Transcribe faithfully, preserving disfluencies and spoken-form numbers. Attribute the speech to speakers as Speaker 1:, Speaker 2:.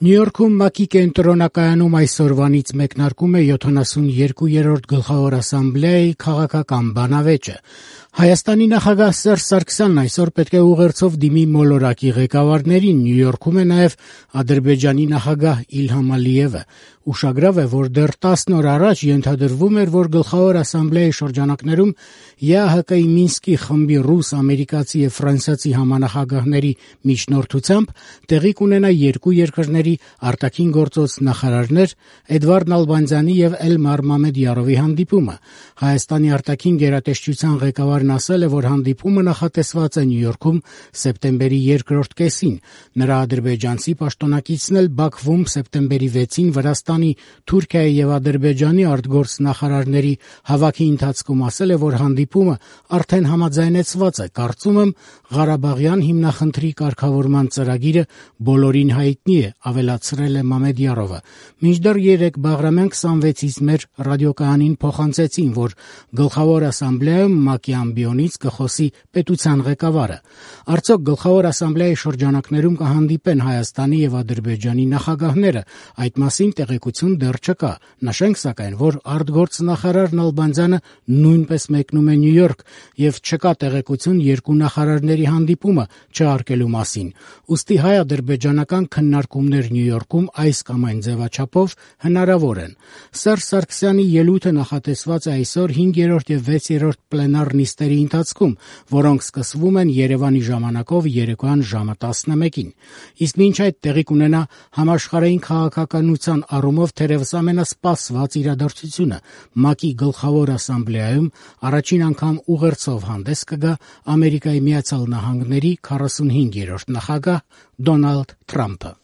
Speaker 1: Նյու Յորքում ՄԱԿ-ի կենտրոնակայանում այսօրվանից մեկնարկում է յոթանասունյերկուերորդ Գլխավոր ասամբլեայի քաղաքական բանավեճը։ Հայաստանի նախագահ Սերժ Սարգսյանն այսօր պետք է ուղերձով դիմի մոլորակի ղեկավարներին։ Նյու Յորքում է նաև Ադրբեջանի նախագահ Իլհամ Ալիևը։ Ուշագրավ է, որ դեռ տասն օր առաջ ենթադրվում էր, որ Գլխավոր ասամբլեայի շրջանակներում ԵԱՀԿ-ի Մինսկի խմբի ռուս, ամերիկացի և ֆրանսիացի համանախագահների միջնորդությամբ տեղի կունենա երկու երկրների արտաքին գործոց նախարարներ Էդվարդ Նալբանդյանի և Էլմար Մամեդյարովի հանդիպումը։ Հայաստանի արտաքին գերատեսչության ղեկավարն ասել է, որ հանդիպումը նախատեսված է Նյու Յորքում սեպտեմբերի երկրորդ կեսին։ Նրա ադրբեջանցի պաշտոնակիցն էլ Բաքվում սեպտեմբերի վեցին Վրաստանի, Թուրքիայի և Ադրբեջանի արտգործնախարարների հավաքի ընթացքում ասել է, որ հանդիպումը արդեն համաձայնեցված է։ Կարծում եմ, Ղարաբաղյան հիմնախնդրի կարգավորման ծրագիրը բոլորին հայտնի է, ավելացրել է Մամեդյարովը։ Մինչդեռ երեկ Բաղրամյան քսանվեցից մեր ռադիոկայանին փոխանցեցին, որ Գլխավոր ասամբլեայում ՄԱԿ-ի ամբիոնից կխոսի պետության ղեկավարը։ Արդյոք Գլխավոր ասամբլեայի շրջանակներում կհանդիպեն Հայաստանի և Ադրբեջանի նախագահները, այդ մասին տեղեկություն դեռ չկա։ Նշենք սակայն, որ արտգործնախարար Նալբանդյանը նույնպես մեկնում է Նյու Յորք և չկա տեղեկություն երկու նախարարների հանդիպումը չհարկելու մասին։ Ուստի հայ-ադրբեջանական քննարկումներ Նյու Յորքում այս կամ այն ձևաչափով հնարավոր են։ Սերժ Սարգսյանի ելույթը նախատեսված է այսօր հինգերորդ և վեցերորդ պլենար նիստերի ընթացքում, որոնք սկսվում են Երևանի ժամանակով երեկոյան ժամը տասնմեկին։ Իսկ մինչ այդ տեղի կունենա համաշխարհային քաղաքականության առումով թերևս ամենասպասված իրադարձությունը՝ ՄԱԿ-ի Գլխավոր ասամբլեայում առաջին անգամ ուղերձով հանդես կգա Ամերիկայի Միացյալ Նահանգների քառասունհինգերորդ նախագահ Դոնալդ Թրամփը։